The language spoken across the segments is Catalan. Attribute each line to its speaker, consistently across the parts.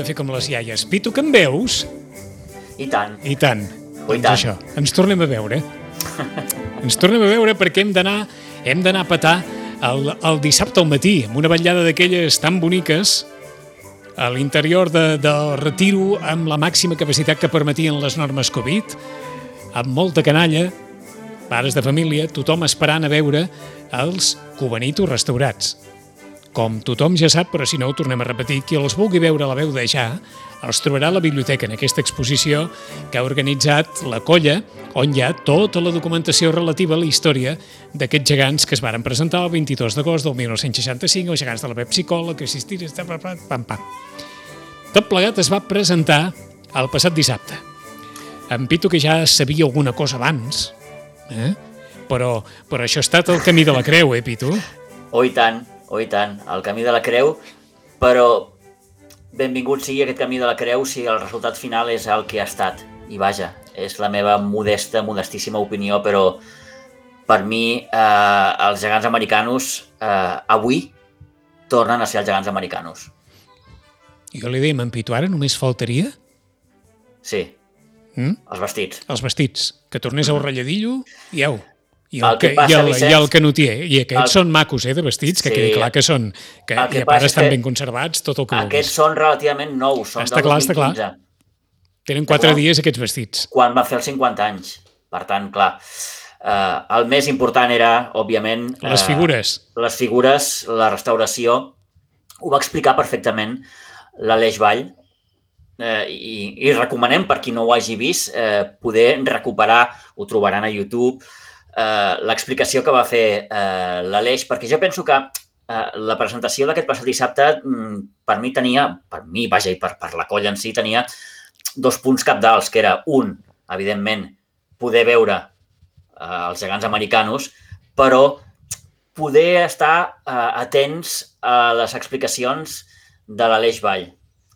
Speaker 1: fer com les iaies. Pitu, que em veus?
Speaker 2: I tant.
Speaker 1: I tant.
Speaker 2: Ui,
Speaker 1: Doncs
Speaker 2: tant.
Speaker 1: això, ens tornem a veure. Ens tornem a veure perquè hem d'anar a petar el dissabte al matí, amb una vetllada d'aquelles tan boniques, a l'interior del retiro, amb la màxima capacitat que permetien les normes Covid, amb molta canalla, pares de família, tothom esperant a veure els Cubanitos restaurats. Com tothom ja sap, però si no ho tornem a repetir, qui els vulgui veure a la veu de ja, els trobarà a la biblioteca en aquesta exposició que ha organitzat la Colla, on hi ha tota la documentació relativa a la història d'aquests gegants que es varen presentar el 22 d'agost del 1965, els gegants de la Pepsi-Cola, que assistiren... Pam, pam. Tot plegat es va presentar el passat dissabte. En Pitu, que ja sabia alguna cosa abans, però això ha estat el camí de la creu, Pitu?
Speaker 2: Oh, i tant, el camí de la creu, però benvingut sigui aquest camí de la creu si el resultat final és el que ha estat. I vaja, és la meva modestíssima opinió, però per mi els gegants americanos avui tornen a ser els gegants americanos.
Speaker 1: Jo li deia, en Pitu, ara només faltaria?
Speaker 2: Sí, els vestits.
Speaker 1: Els vestits, que tornés a un ratlladillo i au. I
Speaker 2: Vicenç,
Speaker 1: el canotier. I aquests són macos, de vestits, que quedi clar que són, que a part estan ben conservats, tot el que vulguis.
Speaker 2: Aquests són relativament nous, són del 2015. Està clar.
Speaker 1: Tenen 4 dies aquests vestits.
Speaker 2: Quan va fer els 50 anys. Per tant, clar, el més important era, òbviament...
Speaker 1: Les figures.
Speaker 2: Les figures, la restauració. Ho va explicar perfectament l'Aleix Vall, i recomanem, per qui no ho hagi vist, poder recuperar, ho trobaran a YouTube, l'explicació que va fer l'Aleix, perquè jo penso que la presentació d'aquest passat dissabte per mi, vaja, i per la colla en si, tenia 2 punts cabdals, que era un, evidentment, poder veure els gegants americanos, però poder estar atents a les explicacions de l'Aleix Vall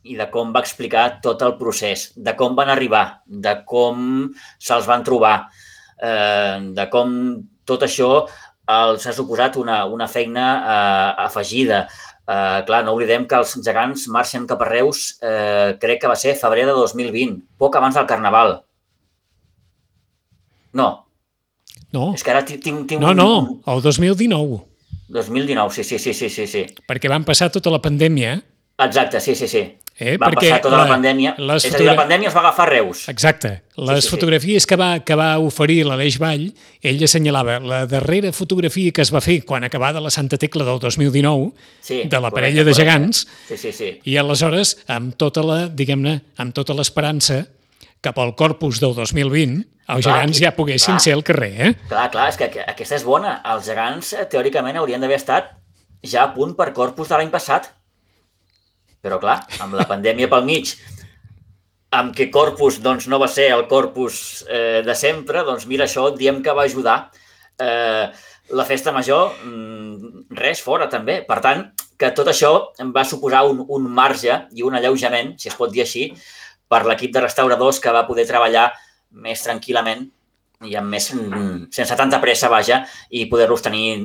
Speaker 2: i de com va explicar tot el procés, de com van arribar, de com se'ls van trobar, de com tot això els ha suposat una feina afegida. Clar, no oblidem que els gegants marxen cap a Reus, crec que va ser febrer de 2020, poc abans del Carnaval. No. És que ara tinc
Speaker 1: No, el 2019.
Speaker 2: 2019, sí.
Speaker 1: Perquè van passar tota la pandèmia.
Speaker 2: Exacte, sí. Va passar tota la pandèmia. És a dir, la pandèmia es va agafar a Reus.
Speaker 1: Exacte. Les fotografies que va oferir l'Aleix Vall, ell assenyalava la darrera fotografia que es va fer quan acabada la Santa Tecla del 2019, de la parella de gegants, i aleshores, amb tota l'esperança cap al Corpus del 2020, els gegants ja poguessin ser al carrer.
Speaker 2: Clar, és que aquesta és bona. Els gegants, teòricament, haurien d'haver estat ja a punt per Corpus de l'any passat. Però, clar, amb la pandèmia pel mig, amb què Corpus no va ser el Corpus de sempre, doncs mira, això diem que va ajudar. La festa major, res, fora també. Per tant, que tot això va suposar un marge i un alleujament, si es pot dir així, per l'equip de restauradors que va poder treballar més tranquil·lament i sense tanta pressa, vaja, i poder-los tenir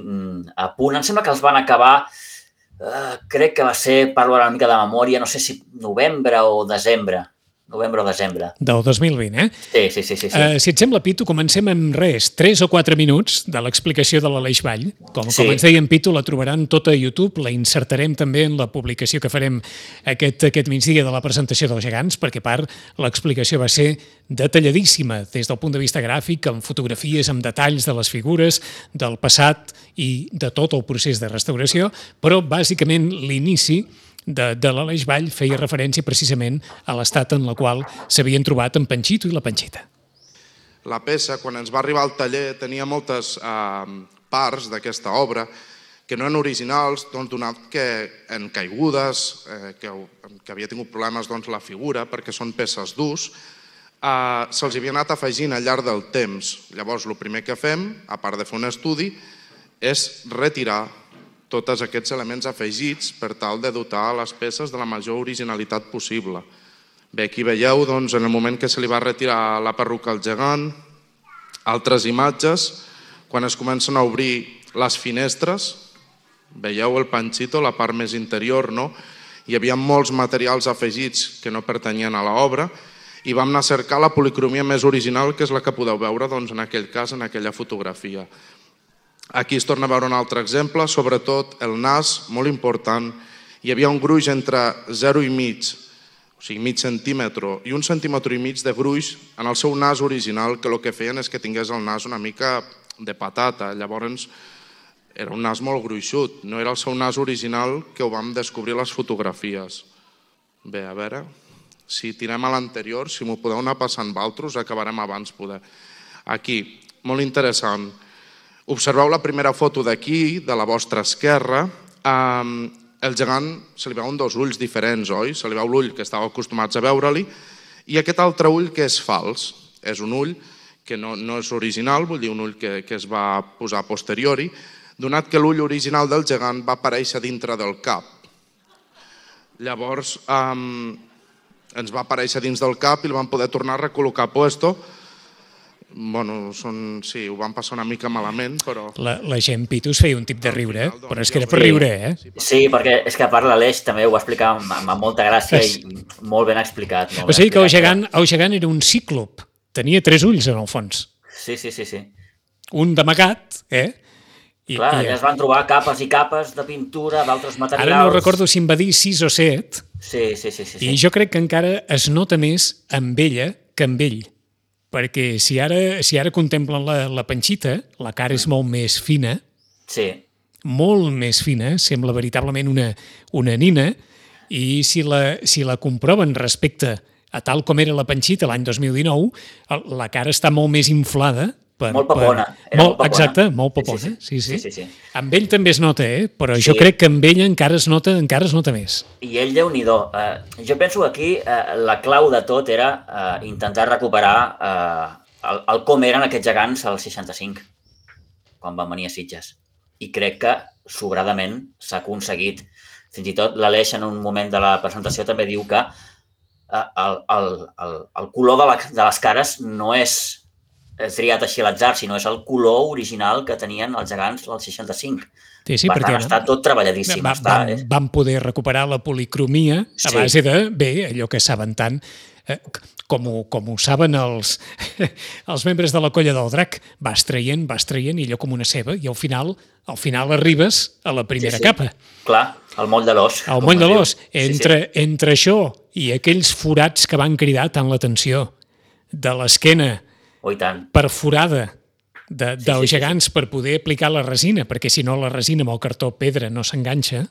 Speaker 2: a punt. Em sembla que els van acabar... crec que va ser, parlo ara una mica de memòria, no sé si novembre o desembre. Del
Speaker 1: 2020,
Speaker 2: Sí.
Speaker 1: Si et sembla, Pitu, comencem amb 3 o 4 minuts de l'explicació de l'Aleix Vall. Com ens deia en Pitu, la trobaran tota a YouTube, la insertarem també en la publicació que farem aquest migdia de la presentació dels gegants, perquè a part l'explicació va ser detalladíssima des del punt de vista gràfic, amb fotografies, amb detalls de les figures, del passat i de tot el procés de restauració, però bàsicament l'inici de l'Aleix Vall feia referència precisament a l'estat en el qual s'havien trobat en Panxito i la Panxita.
Speaker 3: La peça, quan ens va arribar al taller, tenia moltes parts d'aquesta obra que no eren originals, donat que en caigudes, que havia tingut problemes la figura, perquè són peces d'ús, se'ls havia anat afegint al llarg del temps. Llavors, el primer que fem, a part de fer un estudi, és retirar tots aquests elements afegits per tal de dotar les peces de la major originalitat possible. Bé, aquí veieu, en el moment que se li va retirar la perruca al gegant, altres imatges, quan es comencen a obrir les finestres, veieu el Panxito, la part més interior, no? hi havia molts materials afegits que no pertanyien a l'obra i vam anar a cercar la policromia més original, que és la que podeu veure en aquell cas, en aquella fotografia. Aquí es torna a veure un altre exemple, sobretot el nas, molt important. Hi havia un gruix entre 0,5, o sigui, mig centímetre i 1,5 centímetres de gruix en el seu nas original, que el que feien és que tingués el nas una mica de patata. Llavors, era un nas molt gruixut, no era el seu nas original, que ho vam descobrir a les fotografies. Bé, a veure, si tirem a l'anterior, si m'ho podeu anar passant vosaltres, acabarem abans poder. Aquí, molt interessant. Observeu la primera foto d'aquí, de la vostra esquerra. El gegant se li veuen dos ulls diferents, oi? Se li veu l'ull que estàveu acostumats a veure-li i aquest altre ull que és fals. És un ull que no és original, vull dir un ull que es va posar a posteriori, donat que l'ull original del gegant va aparèixer dintre del cap. Llavors ens va aparèixer dins del cap i el vam poder tornar a recol·locar a puesto. Bueno, sí, ho van passar una mica malament, però...
Speaker 1: La gent, Pitu, es feia un tip de riure, però és que era per riure, eh?
Speaker 2: Sí, perquè és que a part l'Aleix també ho va explicar amb molta gràcia i molt ben explicat.
Speaker 1: O sigui que el gegant era un cíclop, tenia 3 ulls en el fons.
Speaker 2: Sí.
Speaker 1: Un d'amagat, eh?
Speaker 2: Clar, ja es van trobar capes i capes de pintura, d'altres materials...
Speaker 1: Ara no recordo si em va dir 6 o 7.
Speaker 2: Sí.
Speaker 1: I jo crec que encara es nota més amb ella que amb ell. Perquè si ara contemplen la panxita, la cara és molt més fina, molt més fina, sembla veritablement una nina, i si la comproven respecte a tal com era la panxita l'any 2019, la cara està molt més inflada.
Speaker 2: Molt papona.
Speaker 1: Exacte, molt papona. Sí. Amb ell també es nota, però jo crec que amb ella encara es nota més.
Speaker 2: I ell, Déu-n'hi-do. Jo penso que aquí la clau de tot era intentar recuperar el com eren aquests gegants al 65, quan van venir a Sitges. I crec que sobradament s'ha aconseguit. Fins i tot l'Aleix, en un moment de la presentació, també diu que el color de les cares no és triat així a l'atzar, sinó és el color original que tenien els gegants al 65.
Speaker 1: Sí,
Speaker 2: per tant, està tot treballadíssim.
Speaker 1: Vam poder recuperar la policromia a base de, allò que saben tant, com ho saben els membres de la Colla del Drac. Vas traient, i allò com una ceba, i al final arribes a la primera capa.
Speaker 2: Clar, el moll de l'os.
Speaker 1: El moll de l'os. Entre això i aquells forats que van cridar tant l'atenció de l'esquena perforada dels gegants per poder aplicar la resina, perquè si no la resina amb el cartó pedra no s'enganxa,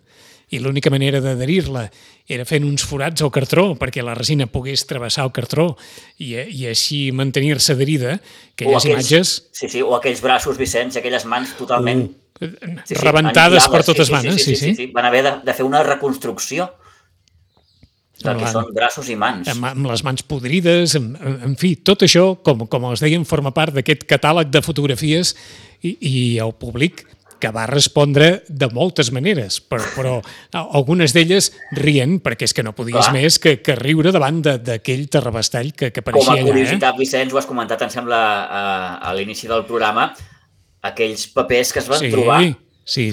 Speaker 1: i l'única manera d'adherir-la era fent uns forats al cartró perquè la resina pogués travessar el cartró i així mantenir-se adherida. Aquelles imatges...
Speaker 2: Sí, o aquells braços, Vicenç, aquelles mans totalment...
Speaker 1: rebentades per totes manes.
Speaker 2: Sí. Van haver de fer una reconstrucció del que són braços i mans.
Speaker 1: Amb les mans podrides, en fi, tot això, com els deien, forma part d'aquest catàleg de fotografies i el públic que va respondre de moltes maneres, però algunes d'elles rient, perquè és que no podies més que riure davant d'aquell terrabastall que apareixia allà.
Speaker 2: Com a curiositat, Vicenç, ho has comentat, em sembla, a l'inici del programa, aquells papers que es van trobar a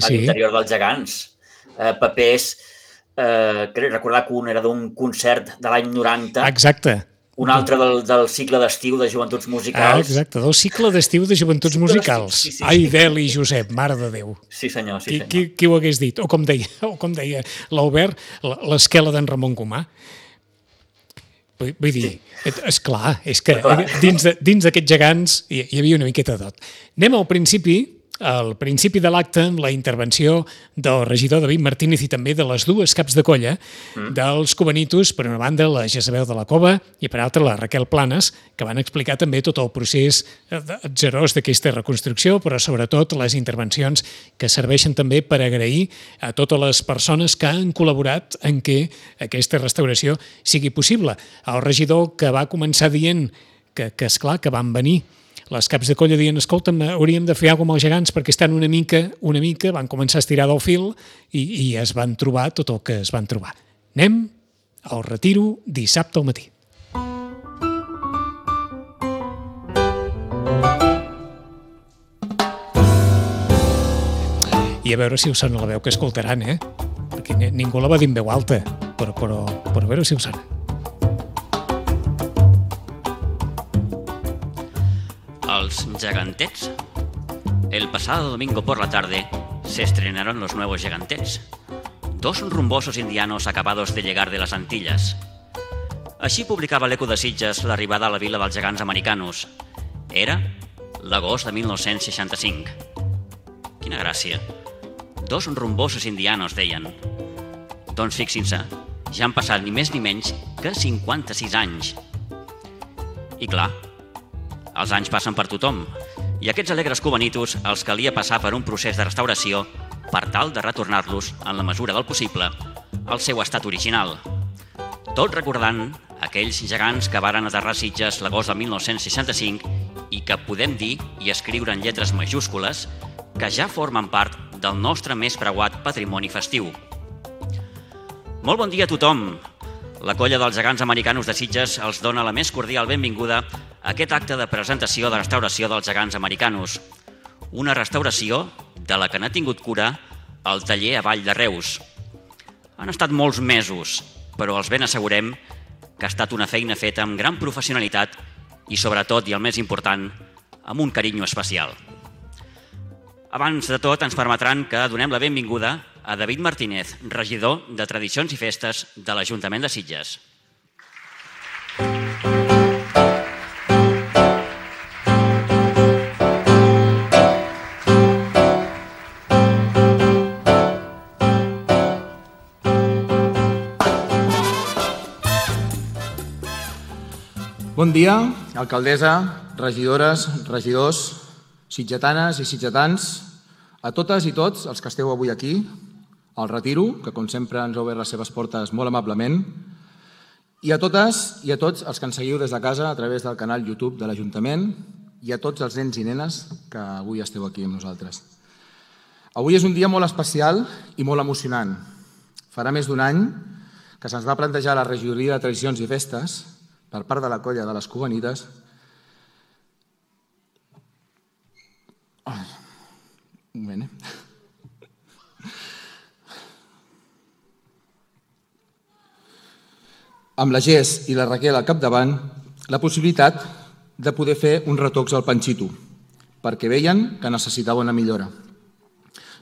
Speaker 2: l'interior dels gegants. Papers... crec recordar que un era d'un concert de l'any 90.
Speaker 1: Exacte.
Speaker 2: Un altre del cicle d'estiu de Joventuts Musicals.
Speaker 1: Exacte, del cicle d'estiu de Joventuts Musicals. Ai, Deli, Josep, mare de Déu.
Speaker 2: Sí, senyor.
Speaker 1: Qui ho hagués dit? O com deia l'Albert, l'esquela d'en Ramon Gomà. Vull dir, esclar, és que dins d'aquests gegants hi havia una miqueta de tot. Anem al principi de l'acte, amb la intervenció del regidor David Martínez i també de les dues caps de colla dels Cubanitos, per una banda la Jezabel de la Cova i per altra la Raquel Planes, que van explicar també tot el procés atzerós d'aquesta reconstrucció, però sobretot les intervencions que serveixen també per agrair a totes les persones que han col·laborat en què aquesta restauració sigui possible. El regidor que va començar dient que esclar, que van venir les caps de colla dient, escolta'm, hauríem de fer alguna cosa amb els gegants perquè estan una mica, van començar a estirar del fil i es van trobar tot el que es van trobar. Anem al retiro dissabte al matí. I a veure si us sona la veu que escoltaran, perquè ningú la va dir en veu alta. pero a veure si ho serà.
Speaker 4: Los Gigantets. El pasado domingo por la tarde se estrenaron los nuevos Gigantets, 2 rumbosos indianos acabados de llegar de las Antillas. Així publicava l'Eco de Sitges l'arribada a la vila dels gegants americanos. Era l'agost de 1965. Quina gràcia. 2 rumbosos indianos, deien. Doncs fixin-se, ja han passat ni més ni menys que 56 anys. I clar, els anys passen per tothom, i aquests alegres cubanitos els calia passar per un procés de restauració per tal de retornar-los, en la mesura del possible, al seu estat original. Tot recordant aquells gegants que varen aterrar a Sitges l'agost de 1965 i que podem dir i escriure en lletres majúscules que ja formen part del nostre més preuat patrimoni festiu. Molt bon dia a tothom! La colla dels gegants americanos de Sitges els dona la més cordial benvinguda a aquest acte de presentació de restauració dels gegants americanos. Una restauració de la que n'ha tingut cura el taller a Vall de Reus. Han estat molts mesos, però els ben assegurem que ha estat una feina feta amb gran professionalitat i, sobretot, i el més important, amb un carinyo especial. Abans de tot, ens permetran que donem la benvinguda a David Martínez, regidor de Tradicions i Festes de l'Ajuntament de Sitges.
Speaker 5: Bon dia, alcaldessa, regidores, regidors, sitgetanes i sitgetans, a totes i tots els que esteu avui aquí, al Retiro, que com sempre ens ha obert les seves portes molt amablement, i a totes i a tots els que ens seguiu des de casa a través del canal YouTube de l'Ajuntament i a tots els nens i nenes que avui esteu aquí amb nosaltres. Avui és un dia molt especial i molt emocionant. Farà més d'un any que se'ns va plantejar la regidoria de Tradicions i Festes per part de la colla de les Cubanites amb la Gés i la Raquel al capdavant, la possibilitat de poder fer un retocs al Panxito, perquè veien que necessitava una millora.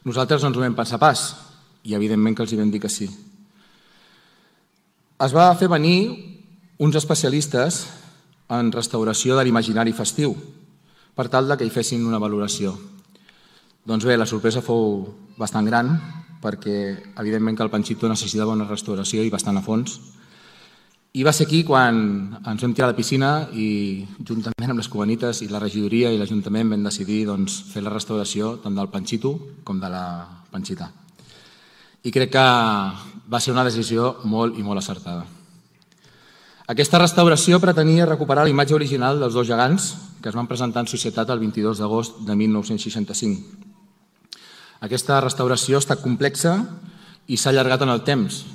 Speaker 5: Nosaltres no ens ho vam pensar pas, i evidentment que els hi vam dir que sí. Es va fer venir uns especialistes en restauració de l'imaginari festiu, per tal que hi fessin una valoració. Doncs bé, la sorpresa fou bastant gran, perquè evidentment que el Panxito necessitava una restauració i bastant a fons. I va ser aquí quan ens vam tirar a la piscina i juntament amb les Cubanites i la regidoria i l'Ajuntament vam decidir fer la restauració tant del Panxito com de la Panxita. I crec que va ser una decisió molt i molt acertada. Aquesta restauració pretenia recuperar la imatge original dels 2 gegants que es van presentar en societat el 22 d'agost de 1965. Aquesta restauració ha estat complexa i s'ha allargat en el temps.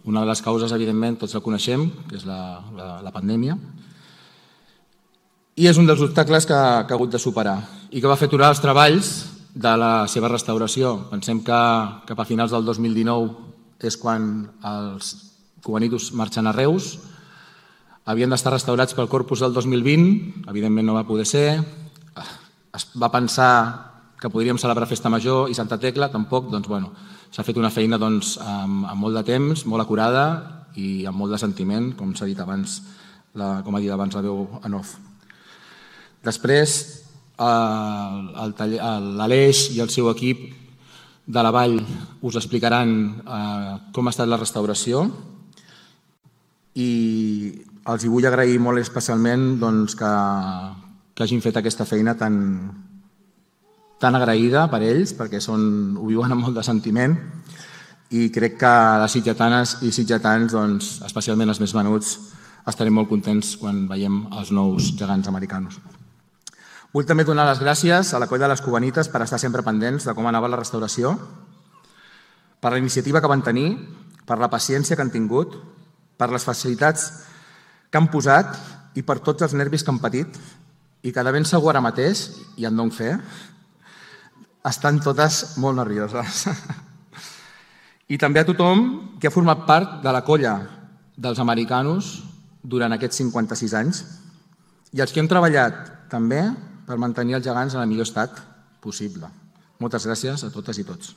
Speaker 5: Una de les causes, evidentment, tots la coneixem, que és la pandèmia, i és un dels obstacles que ha hagut de superar i que va fer aturar els treballs de la seva restauració. Pensem que cap a finals del 2019 és quan els cubanitos marxen a Reus, havien d'estar restaurats pel Corpus del 2020, evidentment no va poder ser, es va pensar que podríem celebrar Festa Major i Santa Tecla, tampoc, doncs bueno, s'ha fet una feina amb molt de temps, molt acurada i amb molt de sentiment, com s'ha dit abans, com ha dit abans la veu en off. Després, l'Aleix i el seu equip de la Vall us explicaran com ha estat la restauració i els vull agrair molt especialment que hagin fet aquesta feina tan agraïda per ells, perquè ho viuen amb molt de sentiment i crec que les sitgetanes i sitgetans, especialment els més menuts, estarem molt contents quan veiem els nous gegants americanos. Vull també donar les gràcies a la colla de les Cubanites per estar sempre pendents de com anava la restauració, per la iniciativa que van tenir, per la paciència que han tingut, per les facilitats que han posat i per tots els nervis que han patit i que de ben segur ara mateix, i en dono fe, estan totes molt nervioses. I també a tothom que ha format part de la colla dels americanos durant aquests 56 anys i els que hem treballat també per mantenir els gegants en el millor estat possible. Moltes gràcies a totes i tots.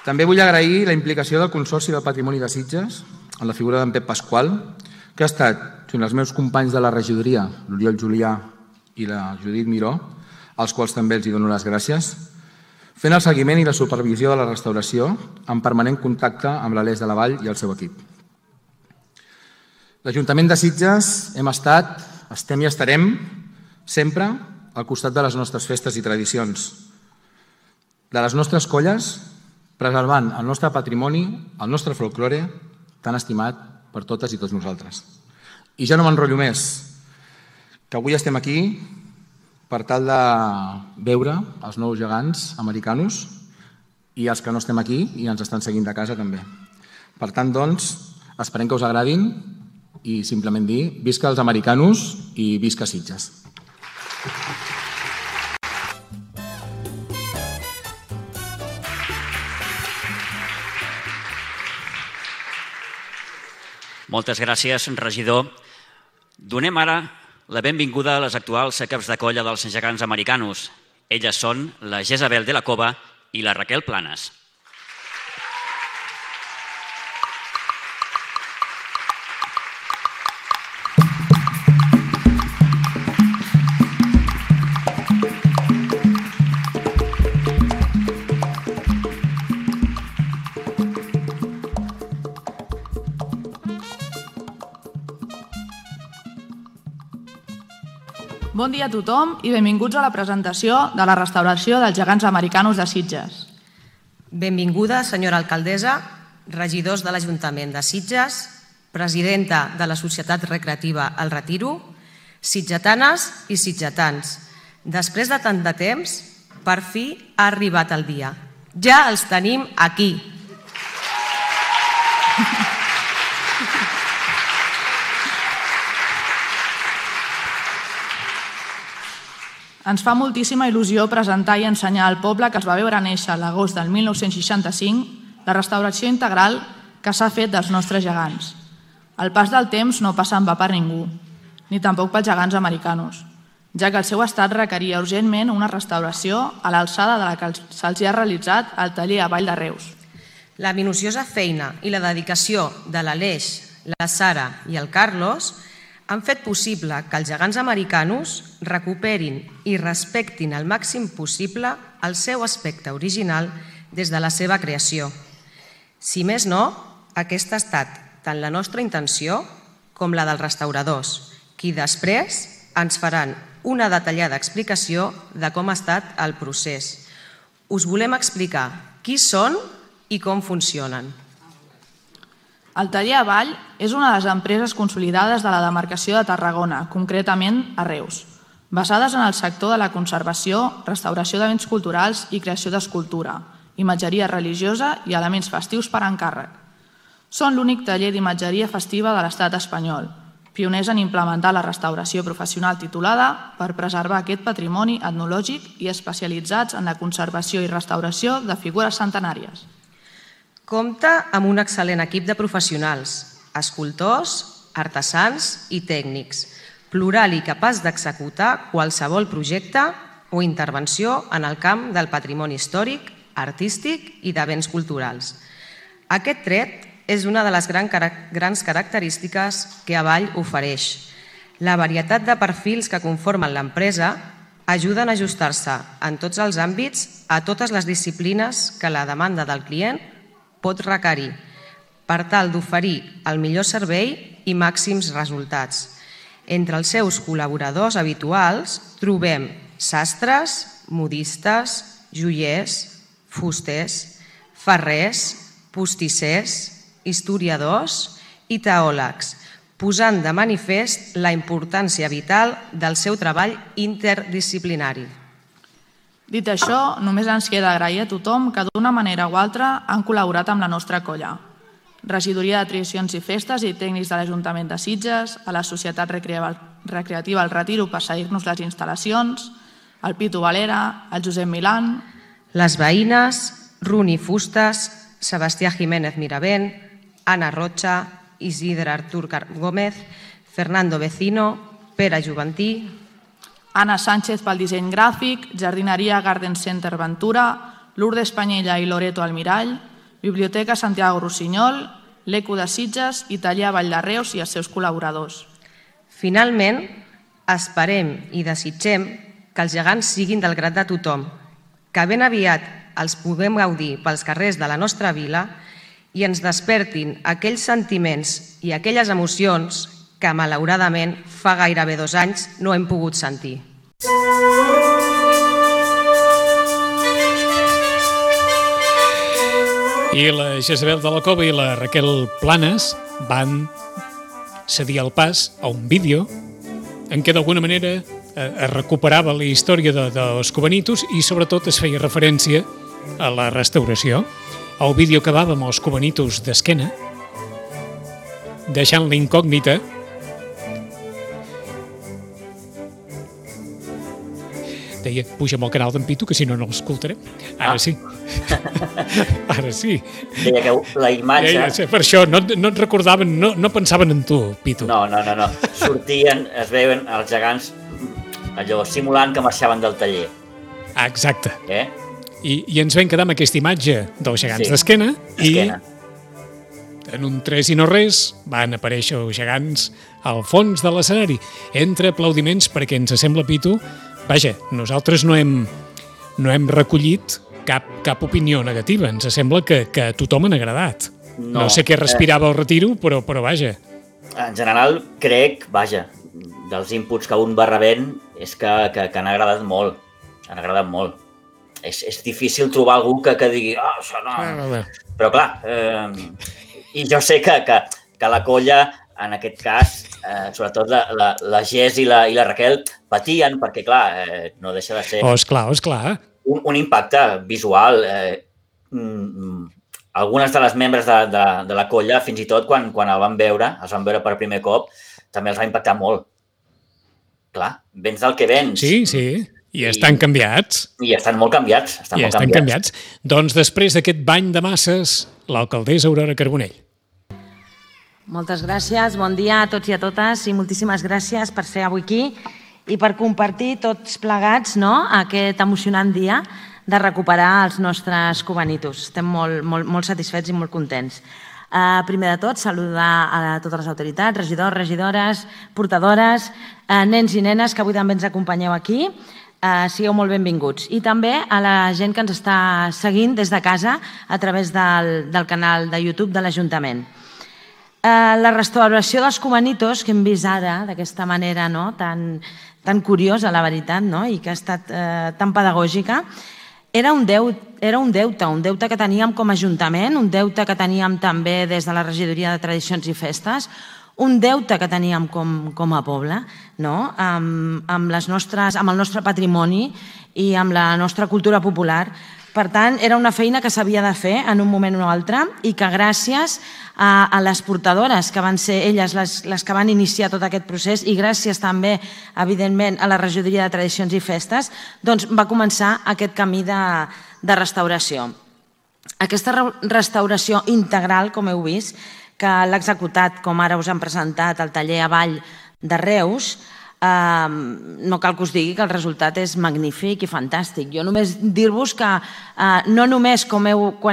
Speaker 5: També vull agrair la implicació del Consorci del Patrimoni de Sitges en la figura d'en Pep Pasqual, que ha estat, junt als meus companys de la regidoria, l'Oriol Julià i la Judit Miró, als quals també els dono les gràcies, fent el seguiment i la supervisió de la restauració en permanent contacte amb l'Aleix de la Vall i el seu equip. L'Ajuntament de Sitges hem estat, estem i estarem sempre al costat de les nostres festes i tradicions, de les nostres colles, preservant el nostre patrimoni, el nostre folklore, tan estimat per totes i tots nosaltres. I ja no m'enrotllo més, que avui estem aquí per tal de veure els nous gegants americanos i els que no estem aquí i ens estan seguint de casa també. Per tant, doncs, esperem que us agradin i simplement dir visca els americanos i visca Sitges.
Speaker 4: Moltes gràcies, regidor. Donem ara la benvinguda a les actuals caps de colla dels gegants americanos. Elles són la Jezabel de la Cova i la Raquel Planes.
Speaker 6: Bon dia a tothom i benvinguts a la presentació de la restauració dels gegants americanos de Sitges.
Speaker 7: Benvinguda, senyora alcaldessa, regidors de l'Ajuntament de Sitges, presidenta de la Societat Recreativa El Retiro, sitgetanes i sitgetans. Després de tant de temps, per fi ha arribat el dia. Ja els tenim aquí.
Speaker 6: Ens fa moltíssima il·lusió presentar i ensenyar al poble que es va veure néixer a l'agost del 1965 la restauració integral que s'ha fet dels nostres gegants. El pas del temps no passa en va per ningú, ni tampoc pels gegants americanos, ja que el seu estat requeria urgentment una restauració a l'alçada de la que se'ls ha realitzat al taller a Vall de Reus.
Speaker 7: La minuciosa feina i la dedicació de l'Aleix, la Sara i el Carlos han fet possible que els gegants americanos recuperin i respectin al màxim possible el seu aspecte original des de la seva creació. Si més no, aquesta ha estat tant la nostra intenció com la dels restauradors, qui després ens faran una detallada explicació de com ha estat el procés. Us volem explicar qui són i com funcionen.
Speaker 6: El taller Avall és una de les empreses consolidades de la demarcació de Tarragona, concretament a Reus, basades en el sector de la conservació, restauració de béns culturals i creació d'escultura, imatgeria religiosa i elements festius per encàrrec. Són l'únic taller d'imatgeria festiva de l'estat espanyol, pioners en implementar la restauració professional titulada per preservar aquest patrimoni etnològic i especialitzats en la conservació i restauració de figures centenàries.
Speaker 7: Compta amb un excel·lent equip de professionals, escultors, artesans i tècnics, plural i capaç d'executar qualsevol projecte o intervenció en el camp del patrimoni històric, artístic i de béns culturals. Aquest tret és una de les grans característiques que Avall ofereix. La varietat de perfils que conformen l'empresa ajuden a ajustar-se en tots els àmbits a totes les disciplines que la demanda del client pot requerir, per tal d'oferir el millor servei i màxims resultats. Entre els seus col·laboradors habituals trobem sastres, modistes, joiers, fusters, ferrers, postissers, historiadors i teòlegs, posant de manifest la importància vital del seu treball interdisciplinari.
Speaker 6: Dit això, només ens queda agrair a tothom que d'una manera o altra han col·laborat amb la nostra colla. Regidoria de Tradicions i Festes i tècnics de l'Ajuntament de Sitges, a la Societat recreativa El Retiro per seguir-nos les instal·lacions, el Pitu Valera, el Josep Milán,
Speaker 7: les veïnes, Runi Fustes, Sebastià Jiménez Miravent, Anna Rocha, Isidre Artur Gómez, Fernando Vecino, Pere Juventí,
Speaker 6: Anna Sánchez pel disseny gràfic, Jardineria Garden Center Ventura, Lourdes Panyella i Loreto Almirall, Biblioteca Santiago Rossinyol, l'Eco de Sitges i Taller Vall de Reus i els seus col·laboradors.
Speaker 7: Finalment, esperem i desitgem que els gegants siguin del grat de tothom, que ben aviat els puguem gaudir pels carrers de la nostra vila i ens despertin aquells sentiments i aquelles emocions que, malauradament, fa gairebé 2 anys no hem pogut sentir.
Speaker 1: I la Jezabel de la Cova i la Raquel Planes van cedir el pas a un vídeo en què d'alguna manera es recuperava la història dels Cubanitos i sobretot es feia referència a la restauració. El vídeo acabava amb els Cubanitos d'esquena, deixant la incògnita. Deia, puja'm al canal d'en Pitu, que si no, no l'escoltarem. Ara sí. Ara sí.
Speaker 2: Deia que la imatge...
Speaker 1: Deia, per això, no et recordaven, no pensaven en tu, Pitu.
Speaker 2: No. Sortien, es veien els gegants allò simulant que marxaven del taller.
Speaker 1: Exacte. I ens vam quedar amb aquesta imatge dels gegants d'esquena i en un 3 i no res van aparèixer els gegants al fons de l'escenari, entre aplaudiments perquè ens sembla, Pitu, vaja, nosaltres no hem recollit cap opinió negativa. Ens sembla que a tothom han agradat. No sé què respirava el Retiro, però vaja.
Speaker 2: En general, crec, vaja, dels inputs que un va rebent és que han agradat molt. Han agradat molt. És difícil trobar algú que digui això no... Però clar, i jo sé que la colla, en aquest cas, sobretot la Gés i la Raquel, patien perquè, clar, no deixa de ser...
Speaker 1: Esclar.
Speaker 2: Un impacte visual. Algunes de les membres de la colla, fins i tot, quan els van veure per primer cop, també els va impactar molt. Clar, vens del que vens.
Speaker 1: Sí, i estan canviats.
Speaker 2: I estan molt canviats.
Speaker 1: Estan canviats. Doncs després d'aquest bany de masses, l'alcaldessa Aurora Carbonell.
Speaker 8: Moltes gràcies, bon dia a tots i a totes i moltíssimes gràcies per ser avui aquí i per compartir tots plegats aquest emocionant dia de recuperar els nostres cubanitos. Estem molt satisfets i molt contents. Primer de tot, saludar a totes les autoritats, regidors, regidores, portadores, nens i nenes que avui també ens acompanyeu aquí. Sigueu molt benvinguts. I també a la gent que ens està seguint des de casa a través del canal de YouTube de l'Ajuntament. La restauració dels cubanitos que hem vist ara d'aquesta manera tan curiosa, la veritat, i que ha estat tan pedagògica, era un deute que teníem com a Ajuntament, un deute que teníem també des de la Regidoria de Tradicions i Festes, un deute que teníem com a poble, amb el nostre patrimoni i amb la nostra cultura popular. Per tant, era una feina que s'havia de fer en un moment o altre i que gràcies a les portadores, que van ser elles les que van iniciar tot aquest procés, i gràcies també, evidentment, a la Regidoria de Tradicions i Festes, doncs va començar aquest camí de restauració. Aquesta restauració integral, com heu vist, que l'ha executat, com ara us han presentat, el taller Avall de Reus, no cal que us digui que el resultat és magnífic i fantàstic. Jo només dir-vos que no només quan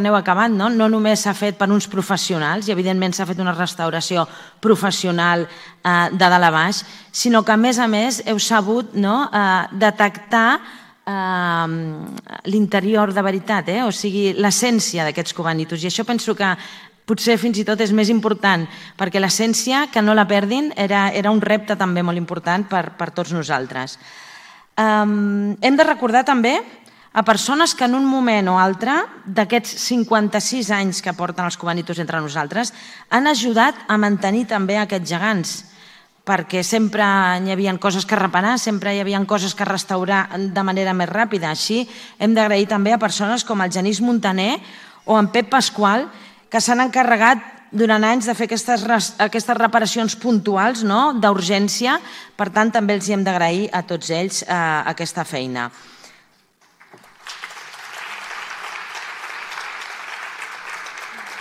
Speaker 8: heu acabat, no només s'ha fet per uns professionals, i evidentment s'ha fet una restauració professional de dalt a baix, sinó que a més heu sabut detectar l'interior de veritat, o sigui, l'essència d'aquests cubanitos. I això penso que potser fins i tot és més important, perquè l'essència, que no la perdin, era un repte també molt important per tots nosaltres. Hem de recordar també a persones que en un moment o altre, d'aquests 56 anys que porten els cubanitos entre nosaltres, han ajudat a mantenir també aquests gegants, perquè sempre hi havia coses que reparar, sempre hi havia coses que restaurar de manera més ràpida. Així hem d'agrair també a persones com el Genís Montaner o en Pep Pasqual, que s'han encarregat durant anys de fer aquestes reparacions puntuals d'urgència, per tant també els hem d'agrair a tots ells aquesta feina.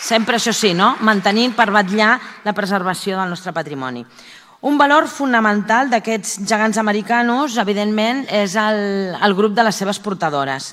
Speaker 8: Sempre això sí, mantenint per vetllar la preservació del nostre patrimoni. Un valor fonamental d'aquests gegants americanos, evidentment, és el grup de les seves portadores,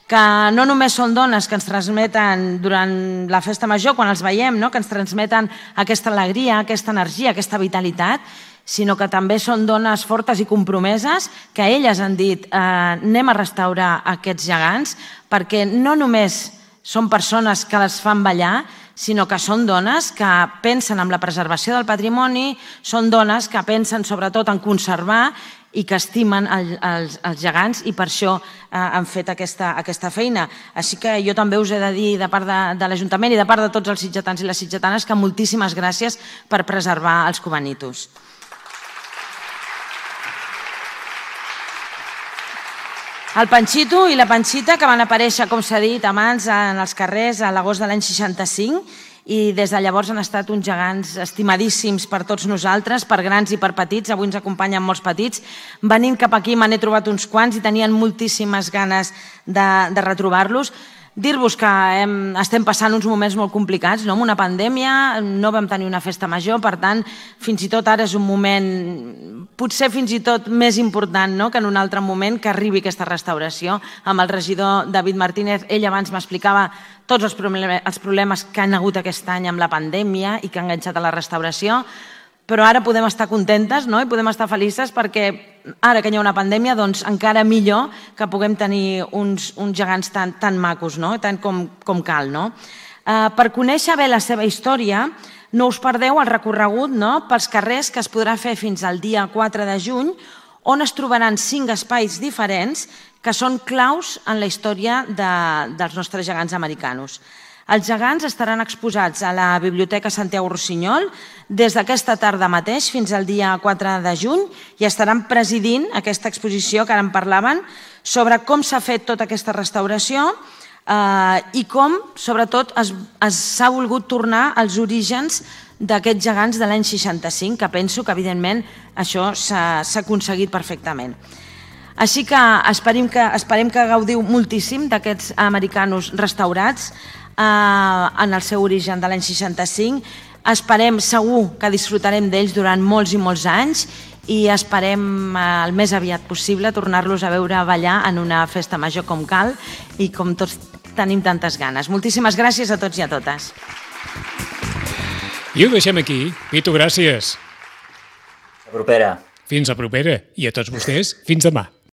Speaker 8: que no només són dones que ens transmeten durant la festa major, quan els veiem, que ens transmeten aquesta alegria, aquesta energia, aquesta vitalitat, sinó que també són dones fortes i compromeses, que elles han dit anem a restaurar aquests gegants, perquè no només són persones que les fan ballar, sinó que són dones que pensen en la preservació del patrimoni, són dones que pensen sobretot en conservar i que estimen els gegants i per això han fet aquesta feina. Així que jo també us he de dir de part de l'Ajuntament i de part de tots els sitgetans i les sitgetanes que moltíssimes gràcies per preservar els cubanitos. El Panxito i la Panxita, que van aparèixer, com s'ha dit abans, en els carrers a l'agost de l'any 65 i des de llavors han estat uns gegants estimadíssims per tots nosaltres, per grans i per petits. Avui ens acompanyen molts petits. Venint cap aquí me n'he trobat uns quants i tenien moltíssimes ganes de retrobar-los. Dir-vos que estem passant uns moments molt complicats, amb una pandèmia, no vam tenir una festa major, per tant, fins i tot ara és un moment, potser fins i tot més important que en un altre moment que arribi aquesta restauració. Amb el regidor David Martínez, ell abans m'explicava tots els problemes que han hagut aquest any amb la pandèmia i que han enganxat a la restauració, però ara podem estar contentes i podem estar felices perquè ara que hi ha una pandèmia, doncs encara millor que puguem tenir uns gegants tan macos, tant com cal. Per conèixer bé la seva història, no us perdeu el recorregut pels carrers que es podrà fer fins al dia 4 de juny, on es trobaran 5 espais diferents que són claus en la història dels nostres gegants americanos. Els gegants estaran exposats a la Biblioteca Santiago Rossinyol des d'aquesta tarda mateix fins al dia 4 de juny i estaran presidint aquesta exposició que ara en parlaven sobre com s'ha fet tota aquesta restauració i com, sobretot, s'ha volgut tornar als orígens d'aquests gegants de l'any 65, que penso que, evidentment, això s'ha aconseguit perfectament. Així que esperem que gaudiu moltíssim d'aquests americanos restaurats en el seu origen de l'any 65. Esperem segur que disfrutarem d'ells durant molts i molts anys i esperem el més aviat possible tornar-los a veure ballar en una festa major com cal i com tots tenim tantes ganes. Moltíssimes gràcies a tots i a totes.
Speaker 1: I ho deixem aquí. Pitu, gràcies.
Speaker 2: Fins a propera.
Speaker 1: Fins a propera. I a tots vostès, fins demà.